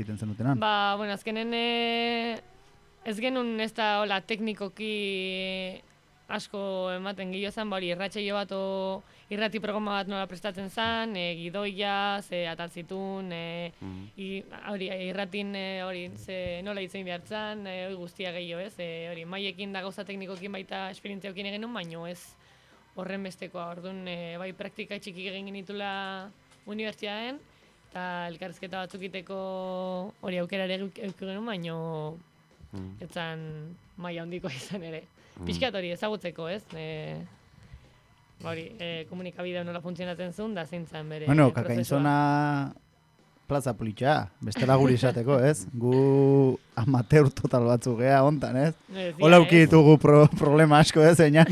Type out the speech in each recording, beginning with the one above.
egiten zenutenan. Bueno, azkenen ez genuen ez da hola teknikoki asko ematen gilozan, hori irratxeio bat irrati programa bat nola prestatzen zen, gidoia, ze ataltzitun, hori irratin hori nola hitzen behartzen, hori guztia gehiago ez, hori maiekin da gauza teknikokin baita esperientziokin egin nun, baino ez horren bestekoa, orduan bai praktika txiki egin genitula unibertsitatean, eta elkarrizketa batzuk iteko hori aukerare euki genuen, baino etzan maila handikoa izan ere. Pixkat hori ezagutzeko, ez? Komunikabidea nola funtzionatzen zuen, da zeintzan bere Bueno, prozesua. Kakainzona plaza politxa, bestela guri izateko, ez? Gu amateur total batzuk gea hontan, ez? Hola uki ditugu problema asko, ez, einat?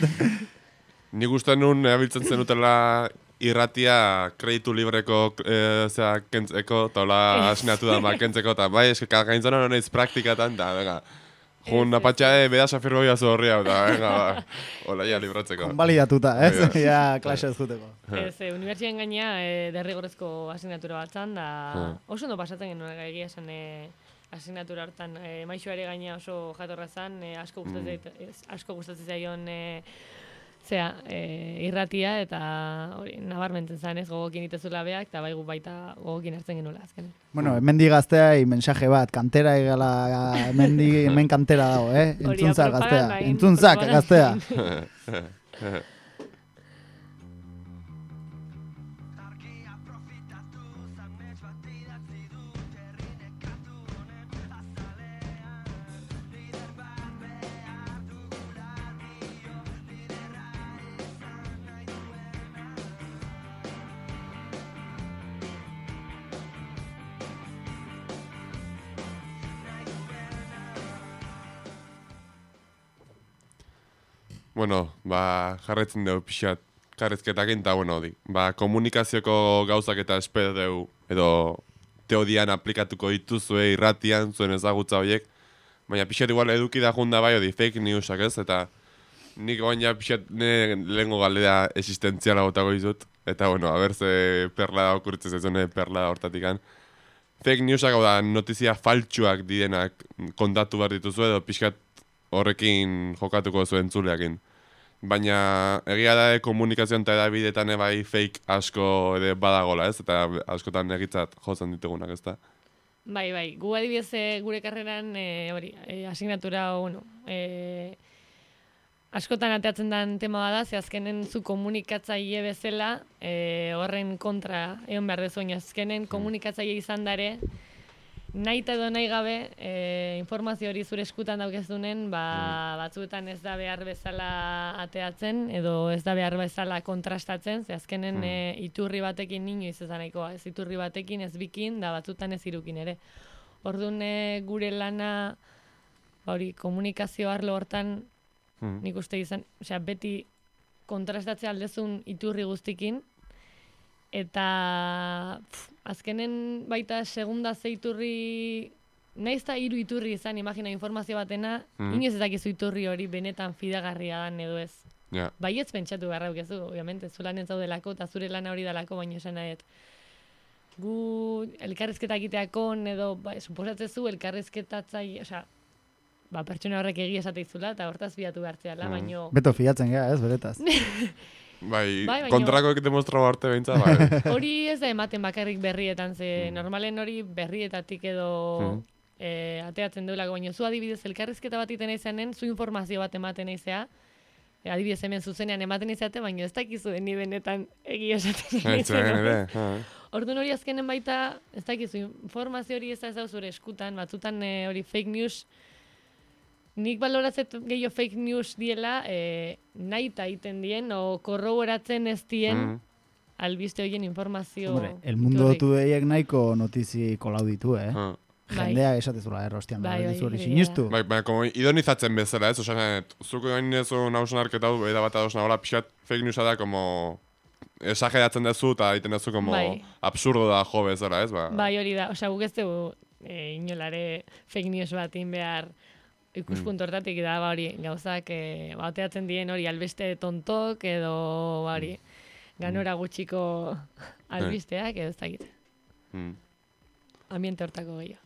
Nik uste nun abiltzen zenutela irratia kreditu libreko kentzeko, eta hola asinatu da kentzeko, eta bai, eske Kakainzona honeiz praktikatan, eta venga, jun apatxa bedas afirgo jazu horri hau, eta venga, hola ja libratzeko. Konbalidatuta, ez? Ja, klase ez juteko. Ez, unibertsitatean gaina derrigorrezko asignatura batzan, da oso ondo pasatzen genuen egia esan asignatura hortan. Maixoare gaina oso jatorra zen, asko gustatzen zaion irratia, eta hori nabarmentzen zen, ez, gogokin itezula beak, eta bai gu baita gogokin hartzen genuela azkenen. Bueno, hemendi gaztea, mensaje bat, kantera egala, hemen kantera dago, Entzuntzak gaztea, entzuntzak gaztea. Bueno, jarretzen dugu pixat karrezketakin, eta bueno, komunikazioko gauzak eta espero dugu, edo teodian aplikatuko dituzue irratian, zuen ezagutza horiek, baina pixat igual eduki da junda bai, fake newsak ez, eta nik oain ja pixat lehengo galdera existentziala gotako izut, eta bueno, a ber ze perla da okurritzen zaizune perla hortatikan. Fake newsak hau da notizia faltsuak direnak kontatu behar dituzu edo pixkat horrekin jokatuko zuen entzuleakin. Baina egia da komunikazioan eta edabidetan bai fake asko ere badagola, ez? Eta askotan egitzat jotzen ditugunak, ez da? Bai, gu adibidez gure karreran asignatura, askotan ateatzen den tema bada, ze azkenen zu komunikatzaile bezala horren kontra egon behar dezuen, azkenen komunikatzaile izan dare, nahi eta edo nahi gabe informazio hori zure eskutan daukezunen, batzuetan ez da behar bezala ateatzen, edo ez da behar bezala kontrastatzen, ze azkenen iturri batekin inoiz ez da nahikoa, ez iturri batekin, ez bikin, da batzuetan ez irukin ere. Orduan gure lana, komunikazio arlo hortan, nik uste izan, beti kontrastatzea aldezun iturri guztikin, eta azkenen baita segunda zeiturri, nahiz eta hiru iturri izan, imagina informazio batena, inoiz ez dakizu iturri hori benetan fidagarria dan edo ez. Baietz pentsatu beharra dukezu, obviamente, zu lanen zaudelako eta zure lana hori dalako, baina esan nahet. Gu elkarrizketa egiteakon edo, suposatzezu elkarrizketatzaile, pertsona horrek egia esateizula eta hortaz bilatu behartzeala, baino... Beto fiatzen gara, ez, beretaz. Bai, kontrakoek demostrau arte behintza, bai. Hori ez da ematen bakarrik berrietan, ze normalen hori berrietatik edo ateatzen deulako, baina zu adibidez elkarrizketa bat iten eizanen, zu informazio bat ematen eizea, adibidez hemen zuzenean ematen eizate, baina ez dakizu ni benetan egia esaten eizanen. Orduan hori azkenen baita, ez dakizu informazio hori ez da zure eskutan, batzutan hori fake news, nik baloratzet gehiago fake news diela nahi eta egiten dien, o korroboratzen ez dien albiste horien informazio... Hombre, el mundo dutu deiek nahiko notizi kolau ditu, Jendea esatezula errostian, hori sinistu. Bai, como idonizatzen bezala, ez? Osan, zuko gain ezo nausun arketa du, eda bat adosna, hola, pixat fake newsa da, como... Esageratzen dezu eta egiten dezu, como absurdo da jo bezala, ez? Bai, hori da, guk ez dugu inolare fake news bat behar ikuspuntu hortatik da, hori, gauzak bateatzen dien hori albiste tontok edo, hori, ganora gutxiko albisteak edo ez dakit. Ambiente hortako gehiago.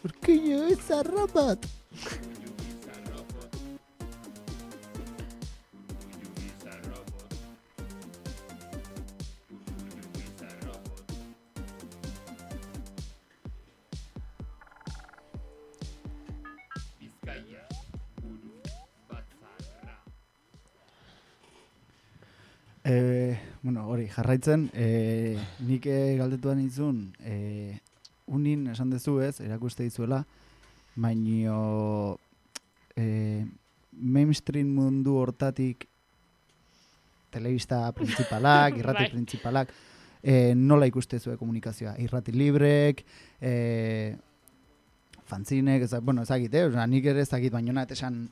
Urkullu izarrobot. Bueno, hori, jarraitzen, nik galdetuan izun, unin esan dezu ez, erakuste dizuela, baino mainstream mundu hortatik telebista principalak, irrati principalak, nola ikuste zuen komunikazioa? Irrati librek, fanzinek, bueno, ezagit, nik ere ezagit, baino nahet esan,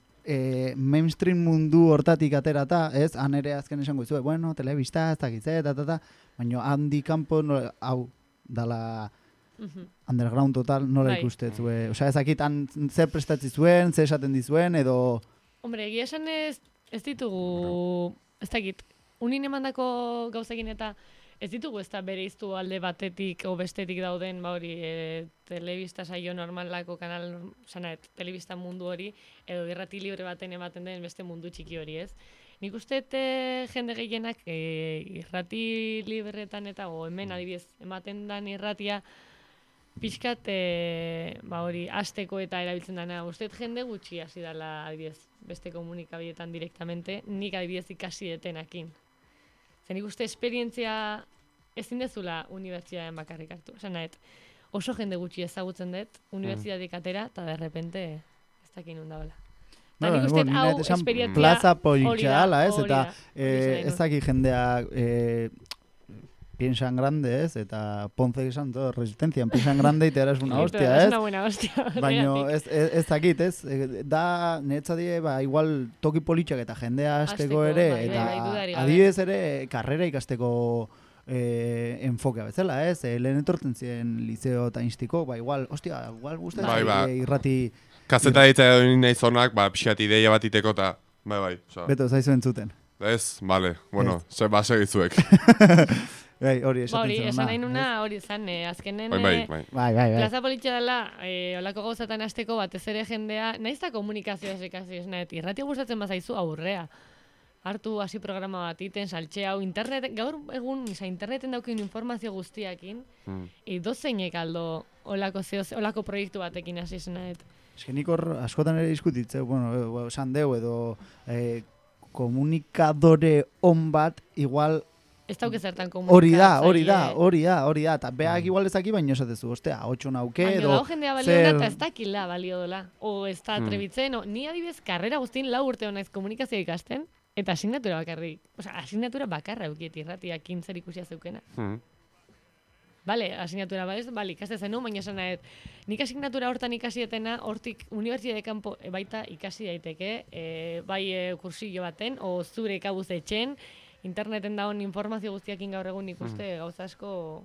mainstream mundu hortatik aterata, ez? Han ere azken esango izue, bueno, telebista, ez dakitze, baina handi kanpo, hau, dala underground total, nola ikustetzue? Osea, ez dakit, zer prestatzi zuen, zer esaten dizuen, edo... Hombre, egia esan ez ditugu, ez dakit, unin emandako gauzekin eta ez ditugu ez da bereiztu alde batetik o bestetik dauden, hori, telebista saio normalako kanal, telebista mundu hori, edo irrati libre baten ematen den beste mundu txiki hori, ez? Nik uste jende gehienak irrati libretan eta, o hemen adibidez, ematen den irratia, pixkat, hori, hasteko eta erabiltzen dena. Uste jende gutxi hasi dela, adibidez, beste komunikabietan direktamente, nik adibidez ikasi detenakin. Zer nik uste esperientzia ezin dezula unibertsitatean bakarrik hartu. Esan nahet, oso jende gutxi ezagutzen dut, unibertsitateak atera, eta derrepente ez dakin undabela. Eta nik uste hau esperientzia plaza politxala, ez? Eta ez dakit jendeak piensan grande, ez? Eta Ponce esan todo, resistencia, piensan grande y te harás una hostia, ez? Es una buena hostia. Baina ez dakit, ez? Da, netzadie, igual toki politxak eta jendea hasteko ere, eta adibidez ere, karrera ikasteko enfokea bezala, ez? Lehen etortzen ziren liceo eta instiko, igual, hostia, igual gustatzen irrati... Kazeta ditza edo nahi zonak, pixat ideia bat iteko eta, bai. Beto, zaizu entzuten. Ez, bale, bueno, segizuek. Hori esan nahi nuna, hori zan, azkenen plaza politxa dela, olako gauzatan hasteko batez ere jendea, nahiz da komunikazioa sekazio ez nahet, irratia gustatzen bazaizu aurrea. Hartu hasi programa bat iten, saltxe hau, gaur egun, interneten daukin informazio guztiakin, dozeinek aldo olako proiektu batekin hasi zen nahet. Ez que nik hor askotan ere diskutitze, bueno, esan deu edo komunikadore on bat, igual... Ez dauke zertan komunikatzaile. Hori da, eta beak igual ezaki baino esatezu, ostea, 8 nauke, edo... Baina dago jendea balio dela eta ez dakila balio dela, o ez da trebitzen, ni adibidez karrera guztien 4 urte honaiz komunikazioa ikasten, eta asignatura bakarrik, asignatura bakarra eukiet irratiak zer ikusia zeukena. Bale, asignatura ikaste zenu, baina esan nahet, nik asignatura hortan ikasietena, hortik unibertsitate kanpo baita ikasi daiteke, bai kursillo baten, o zure kabuz etxen, interneten daun informazio guztiakin gaur egun ikuste gauza asko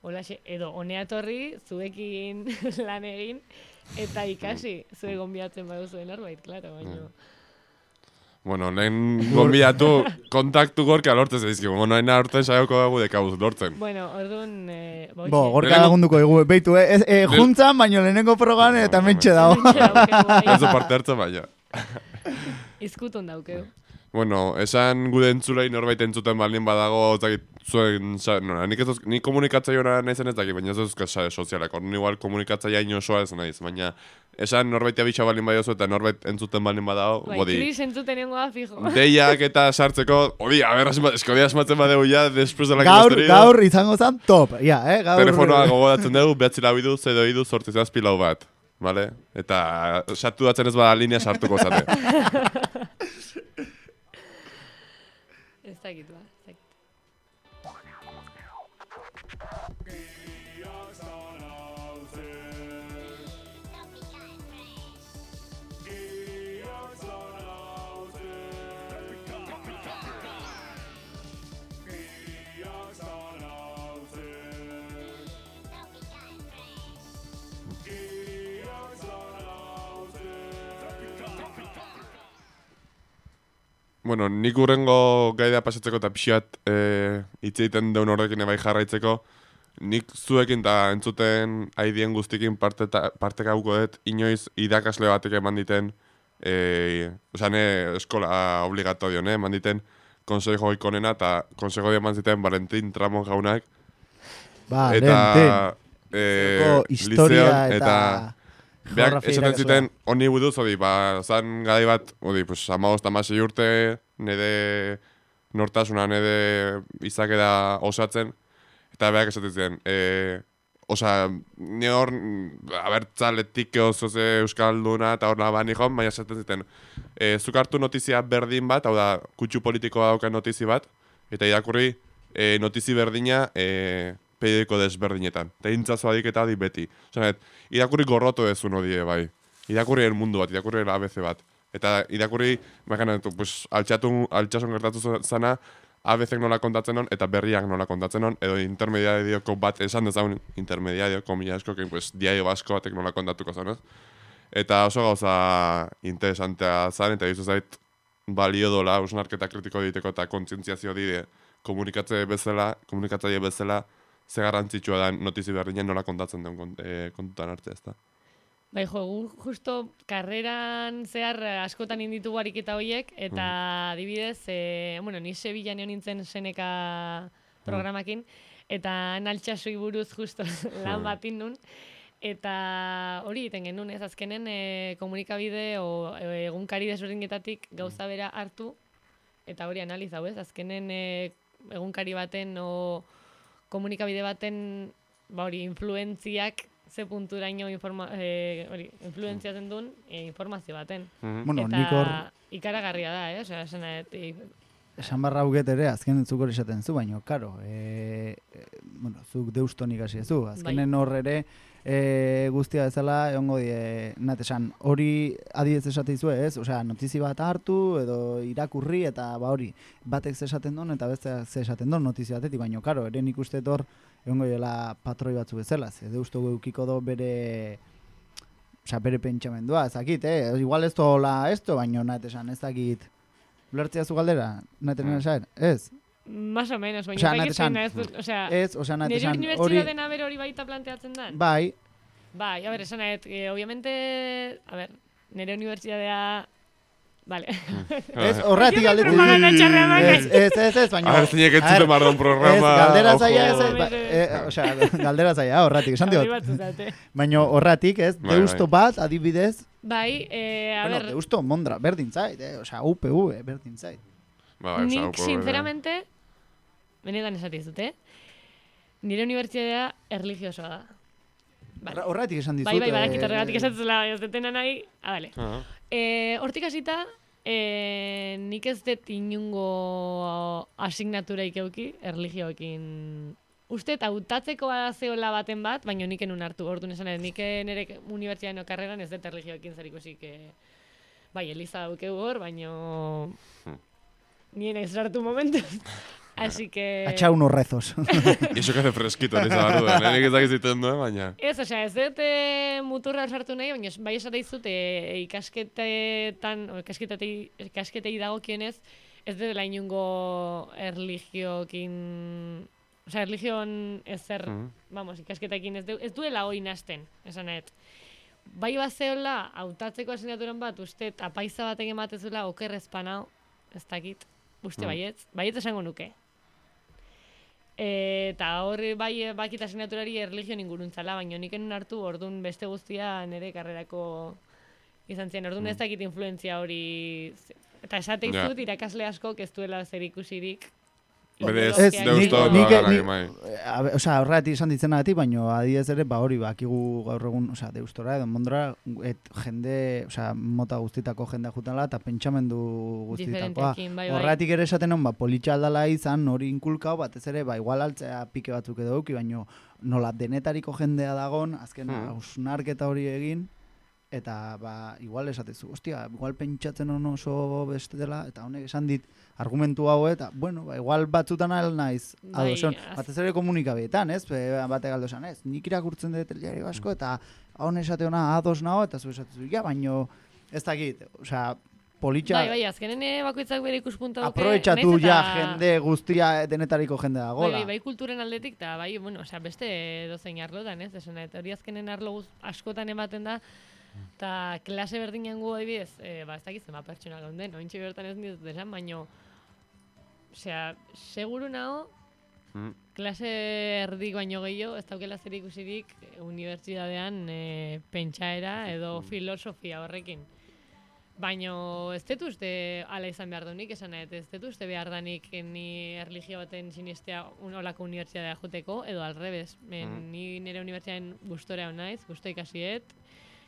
olaxe, edo honea etorri, zuekin lan egin, eta ikasi, zue gonbiatzen baduzuen arbait, klaro, baina... Bueno, lehen gonbidatu kontaktu gorka lortzen zaizkigu. Bueno, nahi aurten saioko dugu dekabuz lortzen. Bueno, orduan... gorka lagunduko dugu, beitu, juntzan, baino lehenengo progan eta mentxe dago. Ez du parte hartzen baina. Izkutun daukeu. Bueno, esan gude entzulei norbait entzuten balin badago, zuen, nik komunikatzaioa nahi zen ez dakit, baina ez duzka sare sozialak, hor igual komunikatzaia inosoa ez nahiz, baina esan norbait abitxa balin badiozu eta norbait entzuten balin badago, bodi. Kris entzuten nengoa fijo. Deiak eta sartzeko, eskodia asmatzen badegu ja, después de la que gaur izango zan top, gaur. Telefonoa gogodatzen dugu, 9 lau bat, vale? Eta sartu datzen ez bada linea sartuko zate. Ez dakit, Bueno, nik urrengo gaidea pasatzeko eta pixat hitz egiten deun horrekin bai jarraitzeko, nik zuekin eta entzuten aidien guztikin parte gauko dut, inoiz irakasle batek eman diten, eskola obligatorio, eman diten konsejo ikonena, eta konsejo eman ziten Valentin Tramon jaunak. Valentin. Historia eta beak esaten ziten honi buduz, zan gai bat, 15-16 urte, nire nortasuna, nire izakera osatzen, eta beak esaten ziten, ni hor, abertzaletik oso ze euskalduna eta hor nabani joan, baina esaten ziten, zuk hartu notizia berdin bat, hau da, kutsu politikoa dauka notizi bat, eta irakurri notizi berdina periodiko desberdinetan. Eta intzazo adiketa di beti. Irakurri gorroto ezun hodie, bai. Irakurri el mundu bat, irakurri el ABC bat. Eta irakurri, altxasun gertatu zana, ABC nola kontatzen hon, eta berriak nola kontatzen hon, edo intermediadioko bat, esan dezagun intermediadio, komila asko, diario basko batek nola kontatuko zan, ez? Eta oso gauza interesantea zan, eta dizu zait, balio dola, usnarketa kritiko diteko eta kontzientziazio dide, komunikatzaile bezala, ze garrantzitsua da notizi berdinen nola kontatzen den kontutan hartzea, ez da. Bai, justo karreran zehar askotan inditugu ariketa horiek, eta adibidez, ni Sevillan egon nintzen Seneka programakin, eta naltxasoi buruz justo lan batin nun, eta hori egiten genuen, ez azkenen komunikabide o egunkari desberdinetatik gauza bera hartu, eta hori analizau, ez azkenen egunkari baten o komunikabide baten influentziak ze punturaino influentziatzen duen informazio baten. Eta ikaragarria da, esan barra huket ere, azken zuk hori esaten zu, baina, karo, zuk deuston ikasi ezu, azkenen hor ere, guztia bezala, egongo natesan, hori adiez esate izue, ez? Osea, notizi bat hartu, edo irakurri, eta hori, batek esaten duen, eta besteak esaten duen notizi batetik, baina, karo, ere nik uste hor, egongo dela patroi batzu bezala, deusto eukiko do bere pentsamendua, ezakit, igual ez dola esto, baina natesan, ez dakit, ulertzea zu galdera, natesan esan, ez? Más o menos, baina paiketzen ez, nire unibertsitateen aber hori baita planteatzen den? Bai, a ver, esan obviamente, nire unibertsitatea, vale. Ez, horretik galdetu. Ez, baina. A ver, zinek entzute mardon programa. Galdera zaia, horretik, esan diot. Baina horretik, ez, deusto bat, adibidez. Bai, a ver. Deusto, Mondra, berdin zait, UPV, berdin zait. Nik, sinceramente, benetan esatizut, nire unibertsitatea erlijiosoa da. Horretik esan dizut. Bai, badakit horregatik esatzela, ez detena nahi. Vale. Hortik hasita, nik ez dut inungo asignatura ikeuki erlijioekin. Uste, hautatzeko zeola baten bat, baina nik enun hartu. Orduan esan, nik nire unibertsitatean karreran ez dut erlijioekin zerikusik. Bai, Eliza daukeu hor, baina nien ez hartu momentu. Así que... Atxa unos rezos. Y eso que hace fresquito, nisa barruda. Nik ez dakiziten duen, baina... Ez, ez dut muturra sartu nahi, baina bai esate izut ikasketei dagokienez, ez dela inungo erligiokin... Osea, erligion ezer, ikasketekin ez duela hori nasten, esan nahet. Bai bazeola, hautatzeko asignaturan bat, uste, apaiza batek ematezula, okerrezpanao, ez dakit, uste baietz esango nuke. Eta horri bai bakit asignaturari erligion inguruntzala, baina nik enun hartu, orduan beste guztia nire karrerako izan zen. Orduan ez dakit influentzia hori, eta esate izut irakasle askok ez duela zer ikusirik. Berez, deusto horregatik esan ditzen agatik, baina adiez ere, hori bakigu gaur egun, deustora edo Mondra, jende, mota guztitako jendea jutela, eta pentsamendu guztitakoa. Horregatik ere esaten hon, politxa aldala izan, hori inkulkau, batez ere, igual altzea pike batzuk edo duki, baina nola denetariko jendea dagon, azken hausnarketa hori egin, eta igual esatezu, igual pentsatzen hon oso beste dela, eta honek esan dit argumentu hau, eta, igual batzutan naiz adoson, batez ere komunikabeetan, ez? Batek aldo esan, ez? Nik irakurtzen dut diario asko, eta hon esate hona ados nago, eta zu esatezu, baino, ez dakit, politxa... Bai, azkenen bakoitzak bere ikuspunta duke. Aprobetxatu ja jende guztia denetariko jende dagoela. Bai, kulturen aldetik, eta bai, bueno, beste dozein arlotan, ez? Esan, hori azkenen arlo askotan ematen da, eta klase berdinen gu adibidez, ez dakitzen, pertsona gaunden, ointxe bertan ez ditut esan, baino, seguru nago, klase erdik baino gehiago, ez daukela zer ikusirik unibertsitatean pentsaera edo filosofia horrekin. Baino ez dut uste ala izan behar dunik, esan ez dut uste behar danik ni erlijio baten sinistea olako unibertsitatea joteko, edo alrebez. Ni nire unibertsitatean gustorea naiz, gusto ikasiet,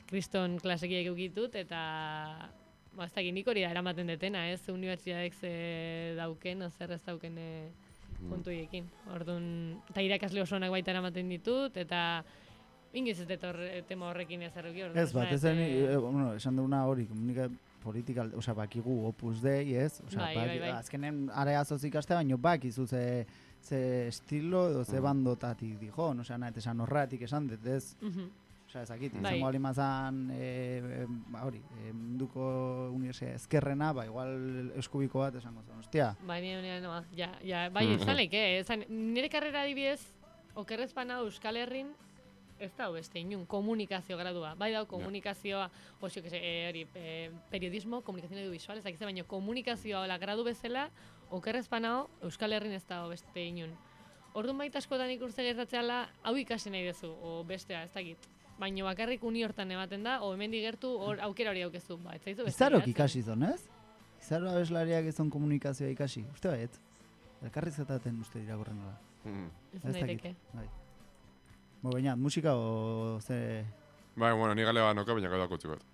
kriston klasekiek eukitut, eta ez dakit nik hori da eramaten detena, ez unibertsitateek dauken, zer ez dauken puntuiekin. Orduan, eta irakasle oso onak baita eramaten ditut, eta ingiz ez dut tema horrekin ez erruki. Ez bat, esan duguna hori, politika, bakigu Opus Dei, ez? Bai. Azkenen areazoz ikaste, baino bakizu ze estilo edo ze bandotatik dijon, esan horretik esan dut, ez? Ezakit, izango alimazan, munduko unibertsitate ezkerrena, igual eskubiko bat esango zen, ostia. Bai, izan nire karrera adibidez, okerrezpana Euskal Herrin, ez da beste inun, komunikazio gradua. Bai da, komunikazioa, periodismo, komunikazio audiovisual, ez dakize, baina komunikazioa gradu bezala, okerrezpana Euskal Herrin ez da beste inun. Orduan baita askotan ikurtze gertatzeala, hau ikasi nahi duzu, o bestea, ez dakit. Baina bakarrik uni hortan ematen da, o hemendik gertu aukera hori aukezu. Izarok ikasi zon, ez? Izaro abeslariak izan komunikazioa ikasi. Uste baiet? Elkarrizketaten uste irakurren nola. Ez daiteke. Baina, musika o ze... Bai, bueno, ni gale noka, baina gaudak utzikot.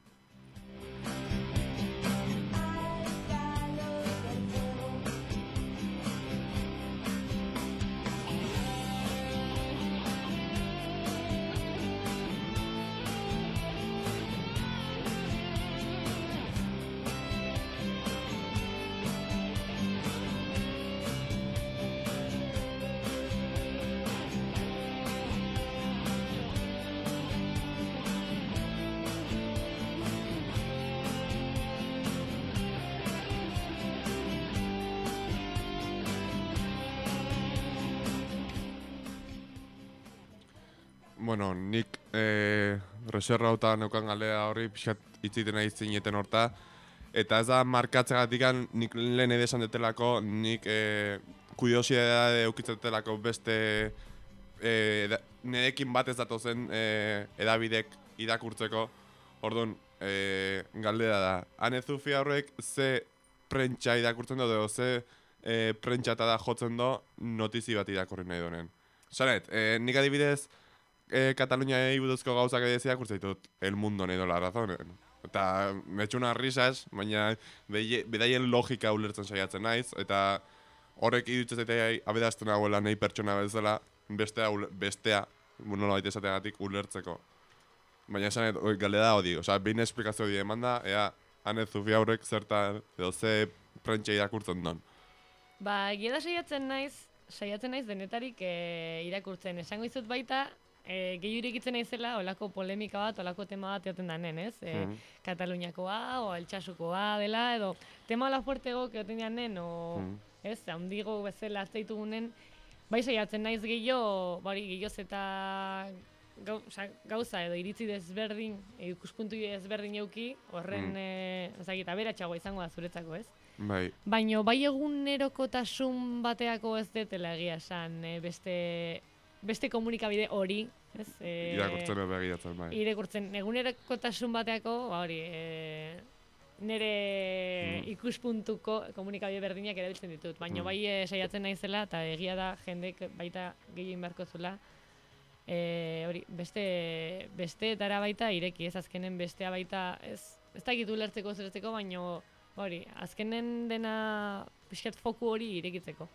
Bueno, nik reserra hauta neukan galea horri pixat itziten nahi zineten horta. Eta ez da markatzegatik nik lehen edesan detelako, nik kuriosidade eukitzetelako beste nerekin bat ez datozen edabidek irakurtzeko. Orduan, galdera da. Ane Zufia horrek ze prentsa irakurtzen do, edo ze prentsa da jotzen do notizi bat irakurri nahi donen. Zaret, nik adibidez, Kataluniai buruzko gauzak edizia kurtzaitut El Mundo nahi dola razonen. Eta metxuna risas, baina bedaien logika ulertzen saiatzen naiz, eta horrek idutzen zaitea abedazten nagoela nahi pertsona bezala bestea nola baita esateagatik ulertzeko. Baina esan galdera hori, behin esplikazio hori eman da, ea Ane Zufia horrek zertan edo ze prentsa irakurtzen don. Egia da saiatzen naiz denetarik irakurtzen. Esango izut baita, gehiu irekitzen naizela, olako polemika bat, olako tema bat egoten danen, ez? Kataluniakoa, o Altsasukoa dela, edo tema hola fuertego egoten danen, o ez, handigo bezala azteitugunen, bai saiatzen naiz gehiago eta gauza edo iritzi desberdin, ikuspuntu desberdin euki, horren, aberatsagoa izango da zuretzako, ez? Bai. Baina bai egunerokotasun bateako ez detela egia esan, beste komunikabide hori, ez? Irakurtzen edo begiratzen, bai. Irakurtzen, egunerokotasun bateako, nire ikuspuntuko komunikabide berdinak erabiltzen ditut. Baina bai saiatzen naizela, eta egia da jendek baita gehien beharko zula, besteetara baita ireki, ez azkenen bestea baita, ez dakit ulertzeko zertzeko, baina azkenen dena pixkat foku hori irekitzeko.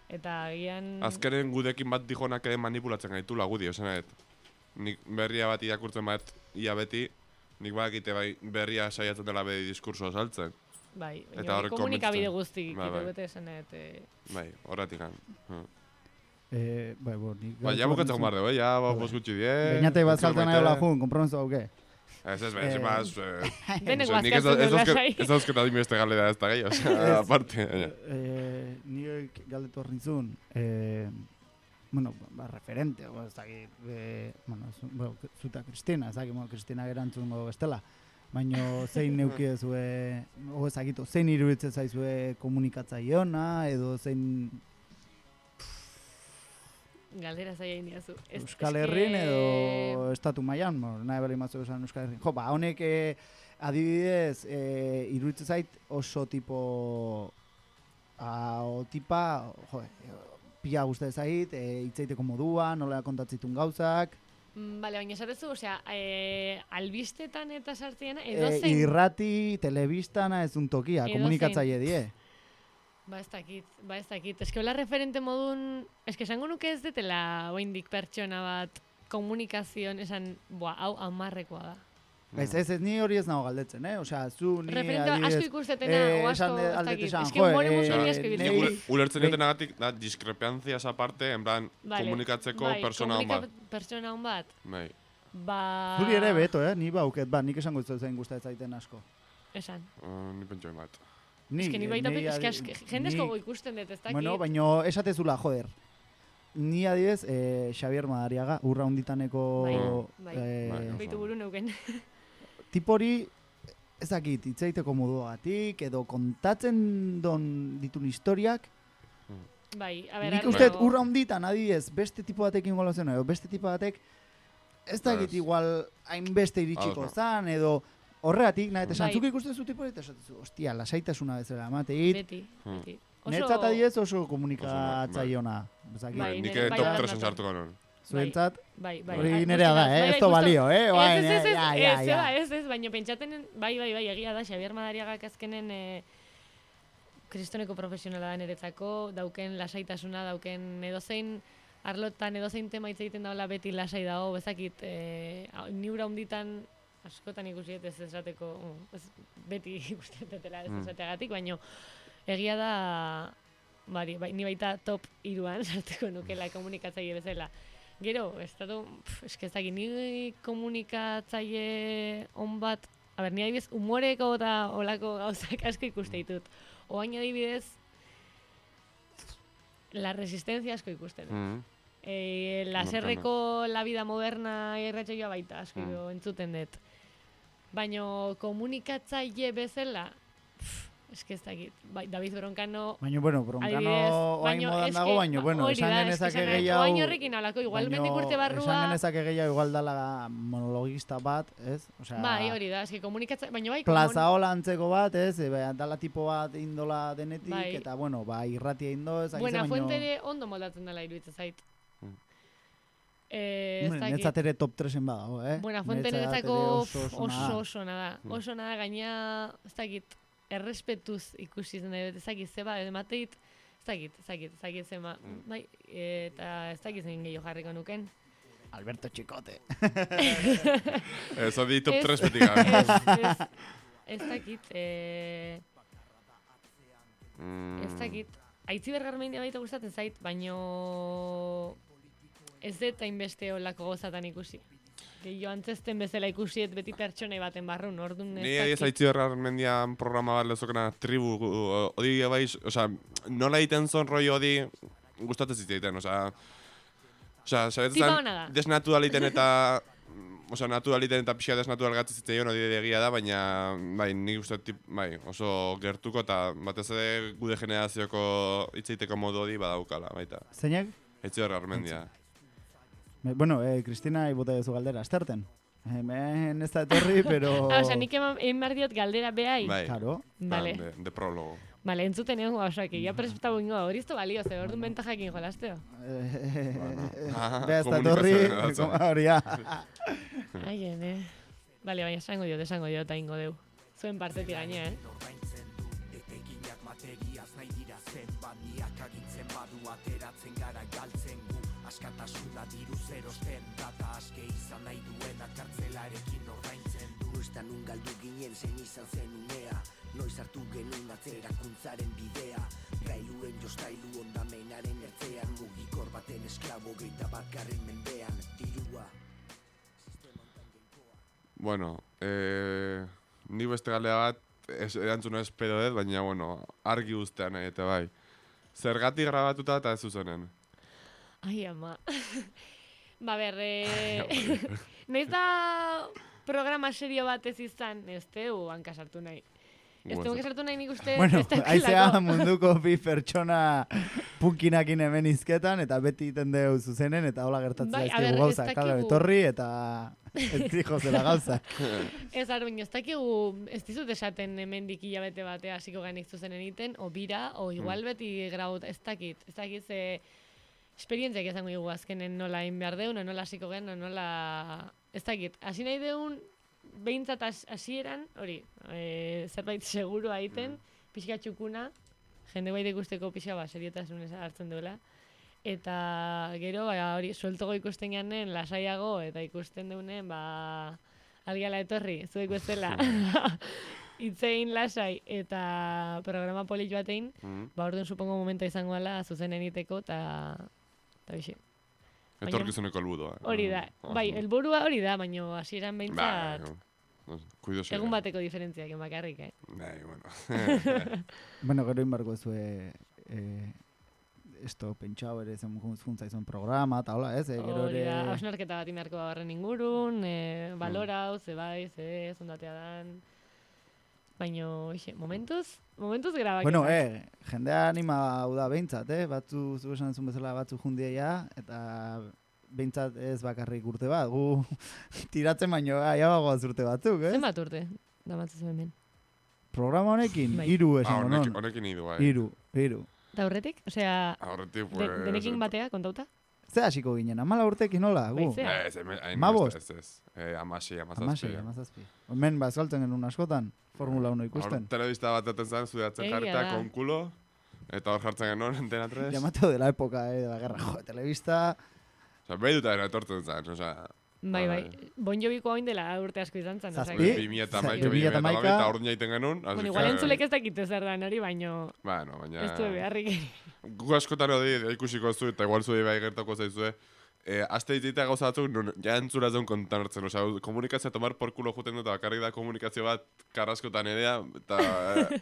Eta gian... Azkenen gudekin bat dijonak ere manipulatzen gaitu lagudi, esanet. Nik berria bat irakurtzen bat ia beti, nik badakite berria saiatzen dela bedi diskurso saltzen. Bai, komunikabide guztik bete esanet. Bai, horretik gan. Nik... Ja bukatzen gomar dugu, ja bos gutxi die. Beñatek bat saltan nahi hola jun, kompromiso hauke. Ez, más... Denek nik ez bazkatzen lasai. dauzketa adimeste galera ez da gehi, osea, aparte. Nik galdetu hor nintzun, bueno, referente, ez dakit, bueno, zuta Kristina, ez dakit, Kristina gerantzungo bestela, baina zein neukidezue, ezagitu, zein iruditzen zaizue komunikatzaileona, edo zein... Galdera zaila indiazu. Euskal Herrin edo estatu mailan, nahi bali matzu esan Euskal Herrin. Jo, honek adibidez, iruditzen zait oso tipo, tipa, jo, pila guzti zait, hitzaiteko modua, nola kontatzitun gauzak. Bale, baina esatezu, osea, albistetan eta sartziena, edo zein... Irrati, telebistana ez un tokia, komunikatzaile die. Ba ez dakit. Eske hola referente modun, eske esango nuke ez detela oindik pertsona bat komunikazioan esan, hau 10rekoa da. Ez, ni hori ez nago galdetzen, Osea, zu ni referente asko ikustetena, o asko, ez dakit. Eske humore mundu ni asko biltzen. Ulertzen dutenagatik, da, diskrepanziaz aparte, en plan, komunikatzeko persona hon bat. Persona hon bat. Bai. Zuri ere beto, ni bauket, nik esango ez zain gustatzen zaiten asko. Esan. Ni pentsoen bat. Ni baita, jendezko ikusten dut, ez dakit. Bueno, baina esatezula, joder. Ni adibidez, Xabier Madariaga, urra hunditaneko... Baitu buru neuken. Tipori, ez dakit, hitzaiteko moduagatik, edo kontatzen ditun historiak. Bai, a ber, nik uste, urra hunditan, adibidez, beste tipo batekin golazen, edo beste tipo batek, ez dakit igual hainbeste iritsiko zan, edo... Horregatik, nahi, esan, zuk ikusten zu tipo eta esatezu, ostia, lasaitasuna bezala, emateit. Beti. Netzat adiez oso komunikatzaiona. Nik top 3 sartuko non. Zuentzat, bai. Hori nerea da, ez to balio, Ez, baina pentsaten, bai, egia da, Xabier Madariagak azkenen kristoneko profesionala da niretzako, dauken lasaitasuna, dauken edozein arlotan, edozein tema hitz egiten daula beti lasai dago, bezakit, niura hunditan, askotan ikusi ez esateko, beti ikusten dutela ez esateagatik, baina egia da, ni baita top 3an sarteko nukela komunikatzaile bezala. Gero, eskezak, ni komunikatzaile on bat, ni adibidez, humoreko eta olako gauzak asko ikuste ditut. Oain adibidez, la resistencia asko ikusten dut. Laserreko La Vida Moderna irratsaioa baita asko entzuten dut. Baina komunikatzaile bezala, eske ez dakit, David Broncano... Baina, Broncano oain modan dago, baina, esan genezake gehiago... Oain horrekin alako, igual mendik urte barrua... Esan genezake gehiago igual dala monologista bat, ez? Bai, hori da, eske komunikatzaile, baina bai... Plaza hola antzeko bat, ez? Dala tipo bat indola denetik, eta, irratia indo, ez? Buenafuente ere ondo moldatzen dela iruditzen zait. Netzat ere top 3en badago, Buenafuente netzako oso nada. Oso nada, gaina, ez dakit, errespetuz ikusi zen dut, ez dakit, zeba, emateit, ez dakit, zema, bai, eta ez dakit zen gehiago jarriko nuken. Alberto Chicote. Ez adi top 3 betik. Ez dakit, Aitziber Garmendia baita gustatzen zait, baino ez dut hainbeste olako gozatan ikusi. Jo antzesten bezala ikusiet beti pertsonei baten barrun, orduan ez dakit. Ni ez Aitziber Garmendian programa bat lezokena tribu, odi baiz, osea, nola egiten zon roi odi gustatzen zitzaiten, osea, sabetzen desnaturaliten eta naturaliten eta pixka desnatural gatzen zitzaion hori egia da, baina bai, nik uste oso gertuko eta batez ere gude generazioko hitzeiteko modu hori badaukala, baita. Zeinak? Aitziber Garmendia. Bueno, Kristina ibota duzu galdera, esterten. Hemen ez da etorri, pero... Osea, nik egin behar diot galdera behai. Bai, claro. Vale. De prólogo. Vale, entzuten egon gauzak, ja presentatu ingo, hori ez da balio, ze hor duen bentajakin jolasteo. Beha ez da etorri, hori ya. Aien, Vale, baina esango diot, eta ingo deu. Zuen partetik gaine, Askatasuna diru zerosten data aske izan nahi duena kartzelarekin ordaintzen du. Nuestan nun galdu ginen zen izan zen unea, noiz hartu genuen atzerakuntzaren bidea. Gailuen jostailu ondamenaren ertzean, mugikor baten esklabo geita batgarren mendean, dirua. Bueno, Ni beste galdera bat, erantzuna espero dut, baina, bueno, argi ustean nahi, eta bai. Zergatik grabatuta eta ez zuzenen? Ai, ama. Ba, noiz da programa serio bat ez izan, ez teu hankasartu nahi. Ez teu hankasartu nahi nik uste... Bueno, aizea munduko bi pertsona punkinakin hemen izketan, eta beti iten deu zuzenen, eta hola gertatzen ezkigu gauza. Kala etorri, eta ez dijo zela gauza. Ez baina ez dakigu, ez dizut esaten hemendik hilabete batea hasiko ganik zuzenen iten, o bira, o igual beti graut, ez dakit ze... Esperientziak izango dugu azkenen nola egin behar deun, nola hasiko gen, nola... Ez dakit, hasi nahi deun, behintzat hasieran, hori, zerbait seguru aiten, pixka txukuna, jende baita ikusteko pixka seriotasunez hartzen duela. Eta gero, hori, sueltogo ikusten ganen, lasaiago, eta ikusten deunen, algiala etorri, zu ikustela. Itzein lasai eta programa polit batein, orduan supongo momenta izango dela zuzenen iteko, eta bixe. Etorkizuneko helburua. Hori da. Bai, helburua hori da, baina hasieran behintzat egun bateko diferentziak emakarrik, Bai, bueno. Bueno, gero inbarko zue esto pentsau ere juntza izan programa, eta hola, ez? Gero ere... Hausnarketa bat imarko horren ingurun, balorau, zebai, zondatea dan... Baina, momentuz grabak. Bueno, jendea anima hau da behintzat, batzu, zu esan zuen bezala batzu jundia eta behintzat ez bakarrik urte bat, gu tiratzen baino, bagoaz urte batzuk, ez? Zenbat urte, damatzu zuen hemen? Programa honekin, 3 esan honon. Honekin idu, bai. 3. Eta horretik? Osea, denekin batea, kontauta? Ze hasiko ginen, 14 urtekin nola, gu? Ez, amazazpi. Hemen bazkaltzen genuen askotan, Formula 1 ikusten. Telebista bat eten zen, zudeatzen jarrita, con culo, eta hor jartzen genuen, Antena 3. Llamatu de la época, de la guerra, telebista... Osa, behi duta dena etortzen zen, osa... Bai. Bon Joviko hain dela urte asko izan zen. Zazpi? 2011, eta orduan jaiten genuen. Bueno, igual entzulek ez dakite zer da nori, baina... Bueno, baina... Ez du beharrik. Gu askotan hori ikusiko zu, eta igual zui bai gertako zaizue. Aste ditzitea gauza batzuk, ja entzura zeun kontan hartzen. Osa, komunikazioa tomar por culo juten dut, bakarrik da komunikazio bat karraskotan edea, eta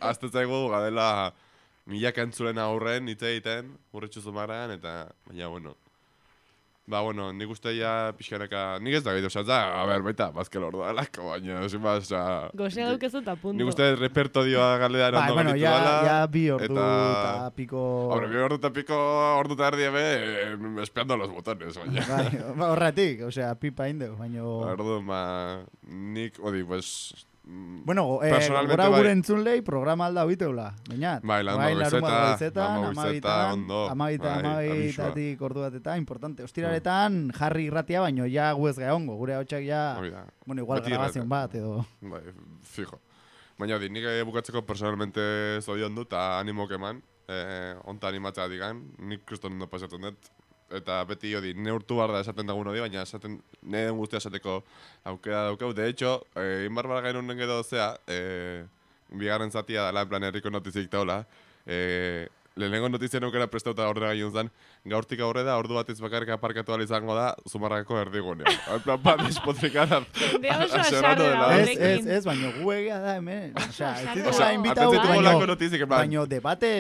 azte zaigu gadela milaka entzulen aurren, hitz egiten, urritxu zumarrean, eta baina, bueno... Ba, bueno, nik uste ya pixkanaka... Nik ez da gaitu, oza, baita, bazkel ordua alako, baina, sin más, oza... Gozea dukezu eta punto. Nik uste repertodioa galean ondo galitu dala... Ja bi ordu eta piko... Hombre, bi ordu eta piko, ordu eta erdi espiando los botones, baina. Bai, horretik, osea, pipa indeu, baina... Ordu, nik, odi, pues... Bueno, gora gure entzunlei programa alda hoiteula, bainat. Bai, larun goizetan, ondo. Amabitatik ordu bat importante. Ostiraretan jarri irratia, baino ja guez geongo, gure hautsak ja... Bueno, igual grabazion bat, edo... Bai, fijo. Baina, nik bukatzeko personalmente zodion dut, eta animo keman, onta animatzea digan, nik kriston ondo pasatzen dut. Eta beti hori, neurtu behar da esaten dagun hori, baina esaten, nire guztia esateko aukera daukau. De hecho, inbarbar gainun edo zea, bigarren zatia dela, en plan, herriko notizik taula, lehenengo notizien aukera prestauta horre gaiun zen, gaurtik aurre da, ordu batiz bakarrik aparkatu izango da, Zumarragako erdigunean. En plan, bat despotrikara. Ez, baina gu egia da hemen. Osea, ez dituela invitau, baina debate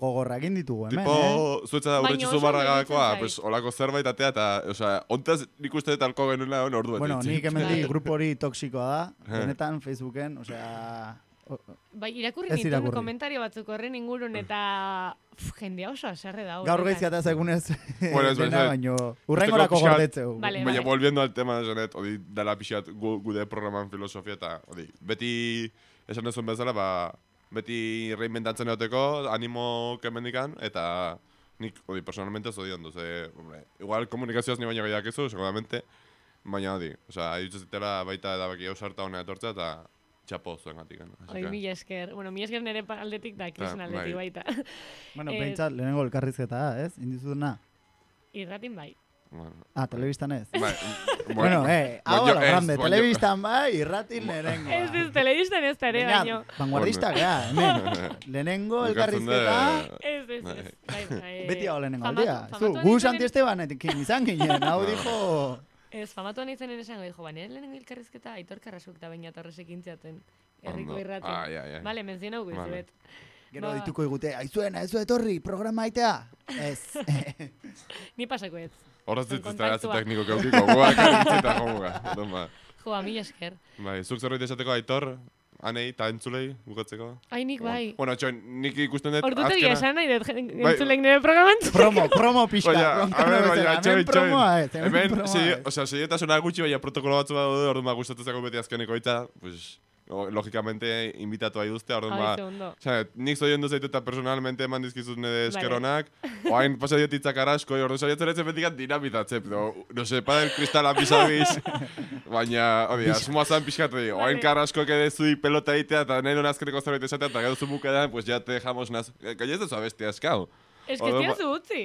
gogorrak inditugu hemen. Tipo, zuetza da, urretxu Zumarragakoa, pues, olako zerbait atea, eta, osea, ontaz nik uste dut alko genuela ordu betitzen. Bueno, nik hemen di grupo hori toksikoa da, benetan, Facebooken, osea... Bai, irakurri nituen komentario batzuk horren ingurun eta jendea oso aserre da. Gaur gaizkiata zaigunez dena, baino urrengorako gordetzeu. Baina, volviendo al tema, Janet, odi, dala pixat gude programan filosofia eta, odi, beti esan ezun bezala, beti reinventatzen egoteko, animo kemendikan, eta nik, odi, personalmente zodi ondo, igual komunikazioaz ni baina gehiak ezu, seguramente, baina, odi, osea, dituzitela baita edabaki hausarta honea etortzea, eta txapo zuen gatik. Oi, mila esker. Bueno, mila esker nire aldetik da, krisen aldetik baita. Bueno, pentsat, lehenengo elkarrizketa da, ez? Indizuduna? Irratin bai. Telebistan ez? Bai. Bueno, hau la grande, telebistan bai, irratin lehenengo. Ez, telebistan ez tare, baino. Vanguardista, gea, hemen. Lehenengo elkarrizketa... Ez. Beti hau lehenengo aldia. Gu Santi Esteban, izan ginen, hau dijo... Ez, famatuan izenen esango, dijo, nire lehenengo elkarrizketa Aitor Karrasuk eta Beñat Torresek intziaten. Herriko Ondo. irraten. Vale, menzionau guizuet. Gero dituko egute, aizuena, ez du etorri, programa aitea. Ez. Ni pasako ez. Horraz ditzizta gazi tekniko keukiko, guak aritzita jomuga. Joa, mila esker. Bai, zuk zerbait esateko Aitor, anei eta entzulei bukatzeko? Ai, nik bai. Bueno, nik ikusten dut Ordute egia esan nahi dut entzulek nire programan. Promo pixka. Hemen, seriotasuna gutxi, baina protokolo batzu daude, orduan gustatzeko beti azkeneko itza, pues, logikamente, invitatu aiduzte, orduan nik zoien duz eta personalmente eman dizkizuz nire eskeronak, oain pasa diotitzak arasko, orduan saiatzen etzen betikat dinamitatzep, no se, padel kristala pisabiz, baina, asmoa zan pixkatu, oain karasko edezu pelota egitea, eta nahi duen azkeneko zerbait esatea, eta gero zu bukadan, pues ya te dejamos naz, gainez dezu abestia eskau. Ez que ez diazu utzi.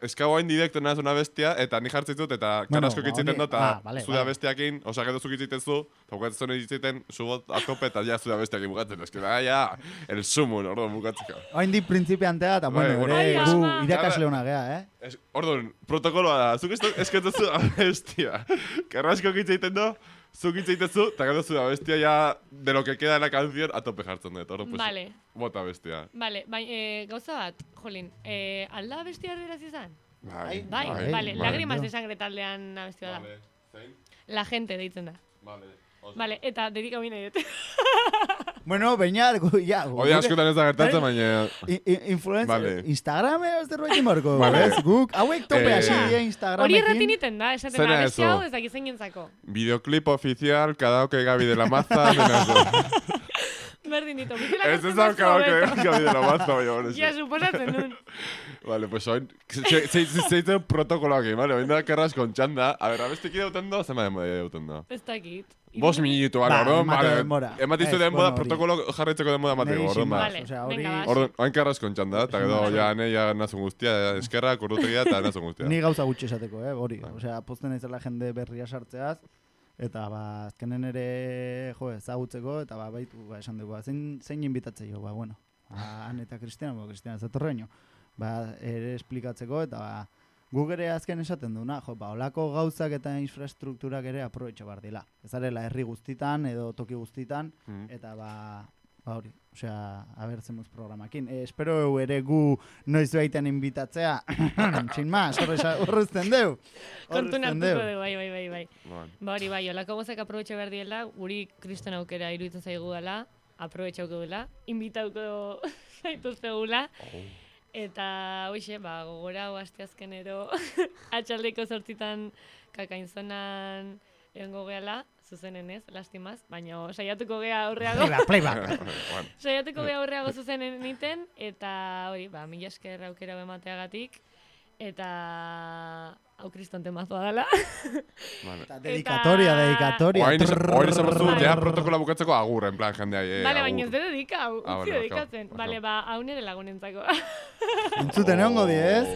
Eskau hain direkto naz una bestia, eta ni jartzen dut, eta karasko kitziten dut, eta zuda bestiakin, osa gero zukitziten zu, eta bukatzen zuen egiten, subot atope, eta ja zuda bestiakin bukatzen. Ez que da, ja, el sumun, orduan bukatzeko. Hain di prinzipiantea, eta bueno, gu irakasleona gea, Orduan, protokoloa da, zuk esketzen zu abestia. Karasko kitziten du, zuk itzaitezu, eta gero zu da bestia ya de lo que queda en la canción a tope jartzen dut. Pues, vale. Bota bestia. Vale, gauza bat, jolín, alda bestia erderaz izan? Bai. Vale, lágrimas de sangre taldean abestia da. Vale, zein? La gente deitzen da. Vale, eta dedika bine dut. Bueno, Beñat, ja. Hoi askotan ez da gertatzen, baina... Influencer, Instagram ez zerbait imorko. Guk, hauek tope hasi die Instagramekin. Hori erratin iten da, esaten da, bestia hau ez dakizen jentzako. Videoclip oficial, karaoke Gabi de la Maza, Berdin ditu, ez ez da karaoke Gabi de la Maza, baina. Ja, suposatzen nun. Vale, pues oin, zeitzen protokoloak egin, vale, oin da Carrasco txanda. A ver, abestik dauten da, zema dauten da? Ez dakit. 5 minutu, vale. Ematizu denboda, protokolo jarraitzeko denboda mateko, orduan ba. Vale, venga, bas. Orduan, oin Carrasco txanda, eta gero, ja, ja nazun guztia, eskerra, kurrutegia, eta nazun guztia. Ni gauza gutxi esateko, hori. Osea, pozten naizela jende berria sartzeaz, eta azkenen ere, ezagutzeko, eta baitu, esan dugu, zein inbitatze jo, bueno. Han eta Kristiana, Kristiana zatorreño. Ere esplikatzeko, eta guk ere azken esaten duna, olako gauzak eta infrastrukturak ere aprobetxo bar dila. Ez arela herri guztitan edo toki guztitan, eta hori, osea, abertzen muz programakin. Espero ere gu noiz baiten invitatzea, sin más, horrezten deu. Kontun hartuko dugu, bai. Ba hori, bai, olako gauzak aprobetxo behar diela, guri kriston aukera iruditzen zaigu dela, aprobetxauko dela, invitauko zaituztegula, eta hoxe, gogora asteazkenero atxaldeko 8 kakainzonan egongo gehala, zuzenen ez, lastimaz, baina saiatuko gea aurreago. Playback. Saiatuko gea aurreago zuzenen egiten, eta hori, mila esker aukera emateagatik, eta hau kriston temazoa dela. Dedikatoria. Oain izan bazu, ja protokola bukatzeko agur, en plan, jendea. Bale, baina ez de dedika, hau, utzi dedikatzen. Bale, hau nire lagunentzako. Entzuten egongo di, ez?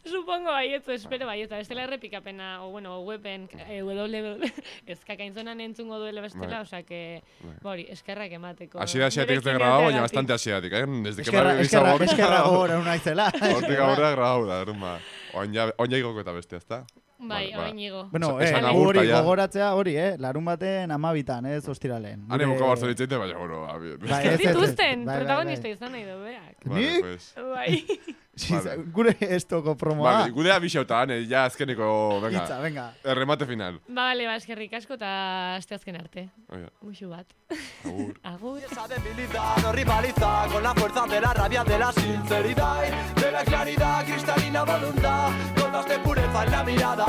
Supongo baietzu, espero baietzu. Bestela errepikapena, weben, kakainzonan entzungo duela bestela, osa que, bori, eskerrak emateko. Asiatik ez da grabau, baina bastante asiatik, Eskerra gora unaizela. Hortik aurrera grabau da, erumba. Oain ja igoko eta bestia, ezta? Bai, oain igo. Bueno, hori gogoratzea hori, larun baten 12, ez ostiralen. Hane buka barzo ditzeite, baina, bueno, Ez dituzten, protagonista izan nahi dobeak. Nik? Bai. Gure estoko promoa. Gure abixauta, ja azkeneko, venga. Erremate final. Bale, eskerrik asko eta aste azken arte. Muxu bat. Agur. Agur. Esa debilidad no rivaliza con la fuerza de la rabia, de la sinceridad, de la claridad, cristalina voluntad, gotas de pureza en la mirada.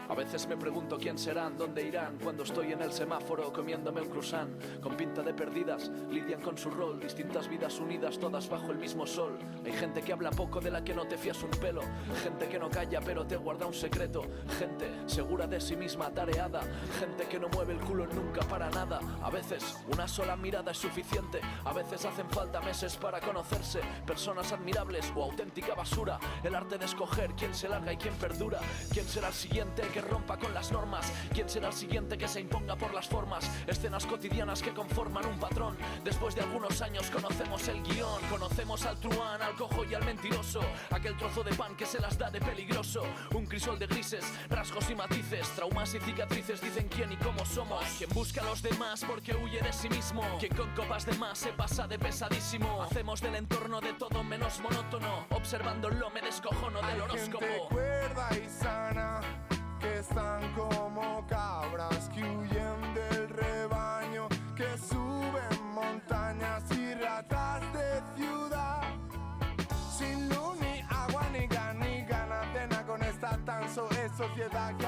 A veces me pregunto quién serán, dónde irán, cuando estoy en el semáforo comiéndome un croissant. Con pinta de perdidas, lidian con su rol, distintas vidas unidas, todas bajo el mismo sol. Hay gente que habla poco, de la que no te fías un pelo, gente que no calla pero te guarda un secreto, gente segura de sí misma, atareada, gente que no mueve el culo nunca para nada. A veces una sola mirada es suficiente, a veces hacen falta meses para conocerse, personas admirables o auténtica basura, el arte de escoger quién se larga y quién perdura, quién será el siguiente que rompa con las normas. ¿Quién será el siguiente que se imponga por las formas? Escenas cotidianas que conforman un patrón. Después de algunos años conocemos el guión. Conocemos al truán, al cojo y al mentiroso. Aquel trozo de pan que se las da de peligroso. Un crisol de grises, rasgos y matices. Traumas y cicatrices dicen quién y cómo somos. Quien busca a los demás porque huye de sí mismo. Quien con copas de más se pasa de pesadísimo. Hacemos del entorno de todo menos monótono. Observándolo me descojono del horóscopo. Hay gente cuerda y sana que están como cabras que huyen del rebaño, que suben montañas y ratas de ciudad. Sin luz ni agua ni ganas de nada con esta tan es sociedad que